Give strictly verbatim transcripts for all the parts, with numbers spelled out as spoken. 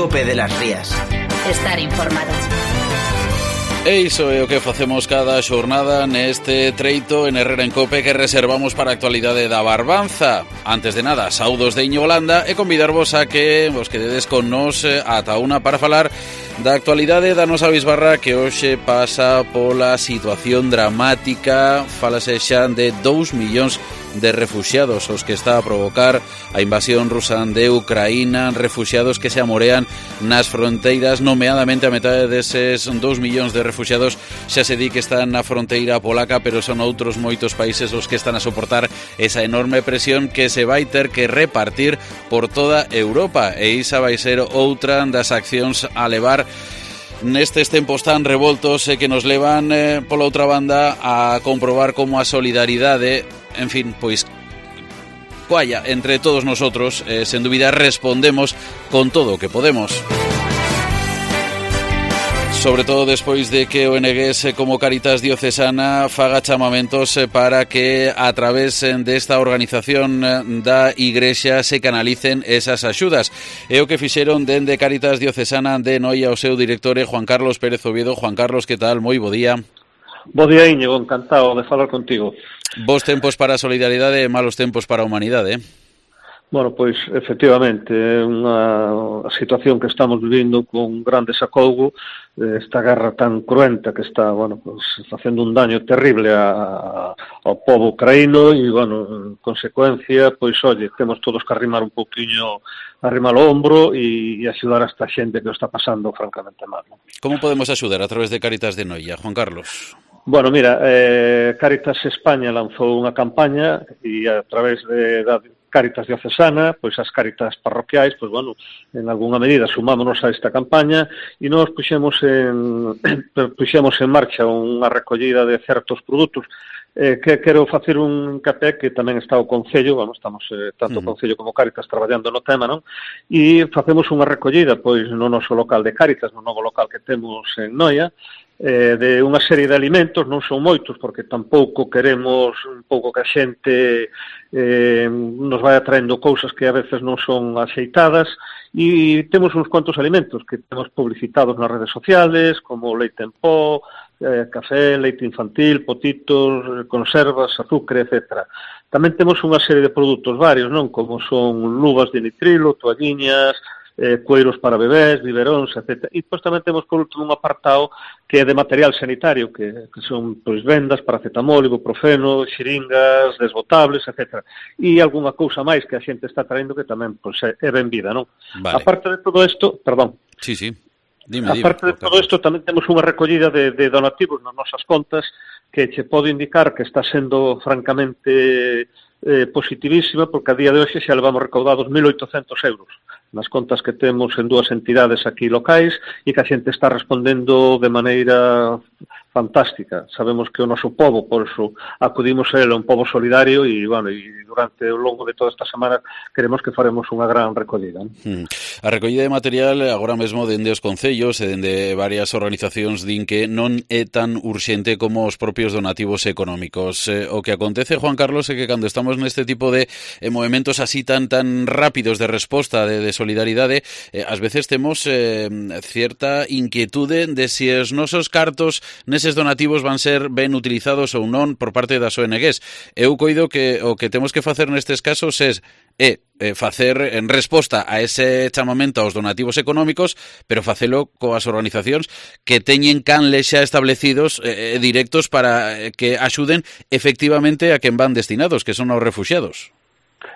Cope de las Rías. Estar informado. E iso é o que facemos cada xornada neste treito en Herrera en Cope que reservamos para a actualidade da Barbanza. Antes de nada, saudos de Iñigo Landa e convidarvos a que vos quededes con nos ata unha para falar da actualidade da nosa bisbarra que hoxe pasa pola situación dramática. Fálase xa de dous millóns de refuxiados os que está a provocar a invasión rusa de Ucraína, refuxiados que se amorean nas fronteiras, nomeadamente a metade deses dous millóns de refuxiados xa se di que están na fronteira polaca, pero son outros moitos países os que están a soportar esa enorme presión que se vai ter que repartir por toda Europa, e esa vai ser outra das accións a levar nestes tempos tan revoltos e que nos levan, eh, pola outra banda, a comprobar como a solidaridade, en fin, pois coalla entre todos nosotros, eh, sen dúbida respondemos con todo o que podemos. Sobre todo despois de que o N G S como Cáritas Diocesana faga chamamentos para que a través desta organización da Igrexa se canalicen esas axudas. É o que fixeron dende Cáritas Diocesana de Noia o seu director Juan Carlos Pérez Oviedo. Juan Carlos, que tal? Moi bo día. Bo día, Íñigo, encantado de falar contigo. Bos tempos para a solidaridade e malos tempos para a humanidade, eh? Bueno, pois, efectivamente, é unha situación que estamos vivindo con gran desacougo, esta guerra tan cruenta que está, bueno, pues, facendo un daño terrible a, ao pobo ucraíno e, bueno, en consecuencia, pois, oye, temos todos que arrimar un pouquiño, arrimar o ombro e, e axudar a esta xente que o está pasando francamente mal, ¿no? Como podemos axudar a través de Cáritas de Noia, Juan Carlos? Bueno, mira, eh, Cáritas España lanzou unha campaña e a través de da Cáritas Diocesana, pois as Cáritas parroquiais, pois bueno, en algunha medida sumámonos a esta campaña e nos puxemos en puxemos en marcha unha recollida de certos produtos. Eh, que quero facer un hincapié que tamén está o Concello, vamos, estamos eh, tanto o Concello como Cáritas traballando no tema, non? E facemos unha recollida, pois, no noso local de Cáritas, no novo local que temos en Noia, eh, de unha serie de alimentos, non son moitos, porque tampouco queremos un pouco que a xente eh, nos vai atraendo cousas que a veces non son axeitadas, e temos uns cuantos alimentos que temos publicitados nas redes sociales, como leite en pó, eh, café, leite infantil, potitos, conservas, azúcar, etcétera. Tamén temos unha serie de produtos varios, non? Como son luvas de nitrilo, toalliñas, eh, cueiros para bebés, biberóns, etcétera. E pois tamén temos por último un apartado que é de material sanitario, que, que son pois vendas, paracetamol, ibuprofeno, xiringas, desbotables, etcétera. E algunha cousa máis que a xente está traendo que tamén pois, é, é ben vida, non? Vale. Aparte de todo isto, perdón. Sí, sí. Dime, Aparte dime, de todo isto, tamén temos unha recollida de, de donativos nas nosas contas que che pode indicar que está sendo francamente eh, positivísima, porque a día de hoxe xa levamos recaudados mil oitocentos euros nas contas que temos en dúas entidades aquí locais e que a xente está respondendo de maneira fantástica. Sabemos que o noso pobo, por eso acudimos a ele, un pobo solidario e, bueno, e durante o longo de toda esta semana queremos que faremos unha gran recollida. Hmm. A recollida de material agora mesmo dende os concellos e dende varias organizacións din que non é tan urxente como os propios donativos económicos. Eh, o que acontece, Juan Carlos, é que cando estamos neste tipo de eh, movimentos así tan tan rápidos de resposta de, de solidaridade, eh, ás veces temos eh, cierta inquietude de se si os nosos cartos neses donativos van ser ben utilizados ou non por parte das O N Ges. Eu coido que o que temos que facer nestes casos é é facer en resposta a ese chamamento aos donativos económicos, pero facelo coas organizacións que teñen canles xa establecidos eh, directos para que axuden efectivamente a quen van destinados, que son aos refuxiados.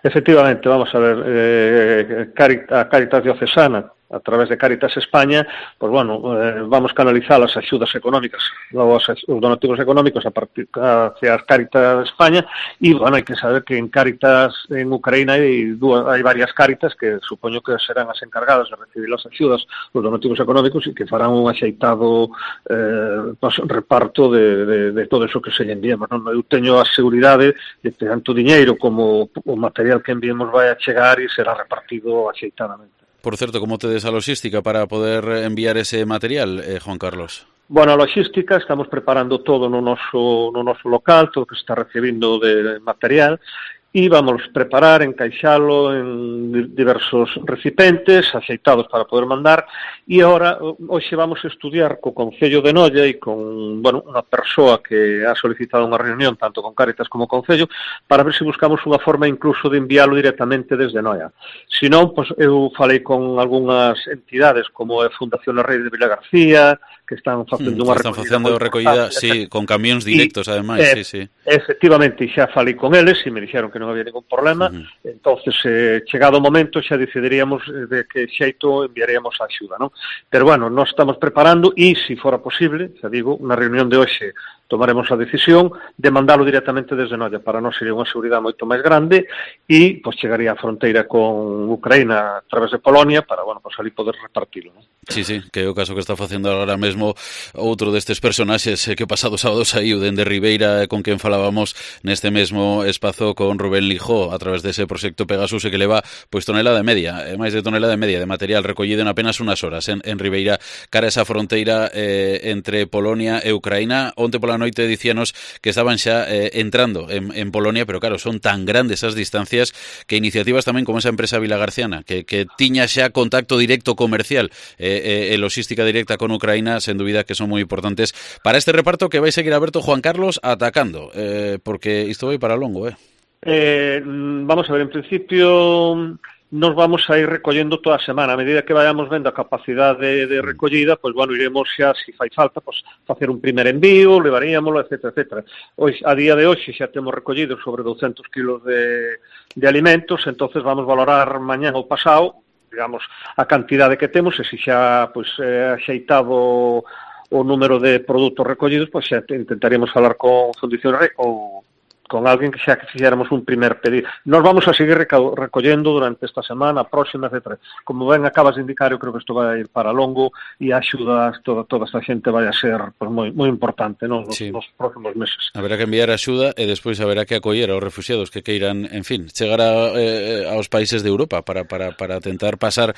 Efectivamente, vamos a ver, eh, Cáritas, a Cáritas Diocesana, a través de Cáritas España, pues bueno, eh, vamos canalizar as axudas económicas, os, os donativos económicos a partir hacia as Cáritas España, e, bueno, hai que saber que en Cáritas en Ucraína hai, dúas, hai varias Cáritas que supoño que serán as encargadas de recibir as axudas, os donativos económicos, e que farán un axeitado eh, pues, reparto de, de, de todo eso que se lle enviamos, non? Eu teño a seguridade de que tanto diñeiro como o material que enviemos vai a chegar e será repartido axeitadamente. Por certo, como tedes a logística para poder enviar ese material, eh, Juan Carlos? Bueno, a logística, estamos preparando todo no noso, no noso local, todo o que se está recibindo de material, e vamos preparar, encaixalo en diversos recipientes axeitados para poder mandar, e agora hoxe vamos a estudiar co Concello de Noia e con, bueno, unha persoa que ha solicitado unha reunión tanto con Cáritas como con Concello para ver se buscamos unha forma incluso de enviálo directamente desde Noia. Se non, pois eu falei con algunhas entidades como a Fundación La Rei de Vilagarcía, que están facendo mm, unha están facendo recollida, sí, con camións directos, y, ademais, eh, sí, sí. Efectivamente, xa falei con eles e me dixeron que non había ningún problema, uh-huh. Entonces, eh, chegado o momento, xa decidiríamos de que xeito enviaríamos a axuda, non? Pero, bueno, nós estamos preparando e, se fora posible, xa digo, na reunión de hoxe tomaremos a decisión de mandalo directamente desde Noia. Para nós sería unha seguridade moito máis grande e, pois, chegaría a fronteira con Ucraína a través de Polonia para, bueno, pois, ali poder repartilo, non? Sí, sí, que é o caso que está facendo agora mesmo outro destes personaxes que o pasado sábado saiu dende Ribeira, con quen falábamos neste mesmo espazo con Rubén Lijó a través dese proxecto Pegasus, e que leva pois tonelada e media, máis de tonelada e media de material recollido en apenas unhas horas en, en Ribeira, cara a esa fronteira eh, entre Polonia e Ucraína. Onte pola noite dicíanos que estaban xa eh, entrando en, en Polonia, pero claro, son tan grandes as distancias que iniciativas tamén como esa empresa vilagarciana que, que tiña xa contacto directo comercial eh, e eh, logística directa con Ucraína, sen dúbida que son moi importantes para este reparto que vai seguir aberto, Juan Carlos, atacando, eh, porque isto vai para longo, eh? Eh, vamos a ver, en principio nos vamos a ir recollendo toda a semana. A medida que vayamos vendo a capacidade de recollida, pois, bueno, iremos xa, se fai falta, pois, facer un primer envío, levaríamoslo, etcétera, etcétera. Hoxe, a día de hoxe xa temos recollido sobre douscentos kilos de, de alimentos, entonces vamos valorar mañán ou pasado, digamos, a cantidade que temos, e se xa, pois, eh, axeitado o número de produtos recollidos, pois xa intentaríamos falar con Fundación Rei ou con alguén que xa que fixéramos un primer pedido. Nos vamos a seguir recollendo durante esta semana, próxima, etcétera. Como ben acabas de indicar, eu creo que isto vai ir para longo e a axuda toda, toda esta xente vai a ser pues, moi, moi importante, non? Nos, sí. nos próximos meses. Haberá que enviar axuda e despois haberá que acoller aos refugiados que queiran, en fin, chegar a, eh, aos países de Europa para, para, para tentar pasar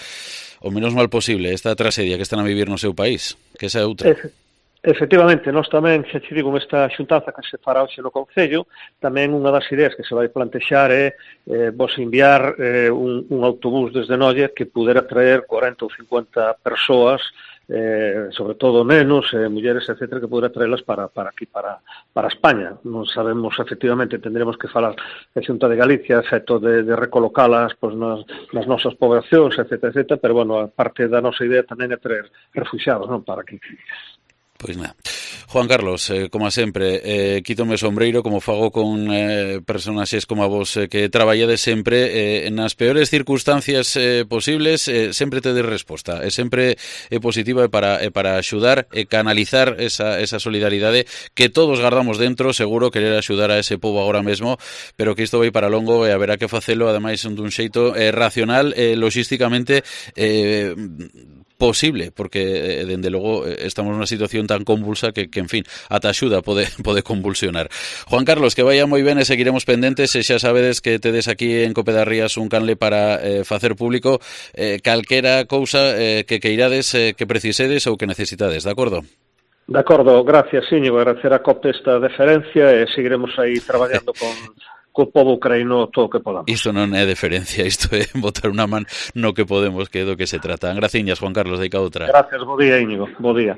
o menos mal posible esta tragedia que están a vivir no seu país, que esa é outra. Efe, efectivamente, nós tamén, xa te digo, esta xuntanza que se fará hoxe no Concello, tamén unha das ideas que se vai plantexar é eh, vos enviar eh, un, un autobús desde Noia que pudera traer cuarenta ou cincuenta persoas, eh, sobre todo nenos, eh, mulleres, etcétera, que pudera traelas para, para aquí, para, para España. Non sabemos, efectivamente, tendremos que falar a Xunta de Galicia, efecto de, de recolocalas pues, nas, nas nosas poblacións, etcétera, etcétera, pero, bueno, a parte da nosa idea tamén é traer refugiados, non, para aquí. Pois nada. Juan Carlos, eh, como sempre, eh, quítome o sombreiro como fago con eh, personaxes como a vos eh, que traballades sempre eh, nas peores circunstancias eh, posibles, eh, sempre tedes resposta, e sempre é positiva e para, e para axudar e canalizar esa, esa solidaridade que todos guardamos dentro, seguro querer axudar a ese povo agora mesmo, pero que isto vai para longo e haberá que facelo, ademais, dun xeito eh, racional e eh, logísticamente eh, posible, porque, eh, dende logo, estamos nunha situación tan convulsa que, que en fin, ata axuda pode, pode convulsionar. Juan Carlos, que vaya moi ben e seguiremos pendentes, e xa sabedes que tedes aquí en Cope das Rías un canle para eh, facer público eh, calquera cousa eh, que queirades, eh, que precisedes ou que necesitades, de acordo? De acordo, gracias, Íñigo, agradecer a Cope esta deferencia e seguiremos aí traballando con co povo ucraíno todo o que podamos. Isto non é deferencia, isto é botar unha man no que podemos, que é do que se trata. Graciñas, Juan Carlos, deica outra. Gracias, bo día, Íñigo, bo día.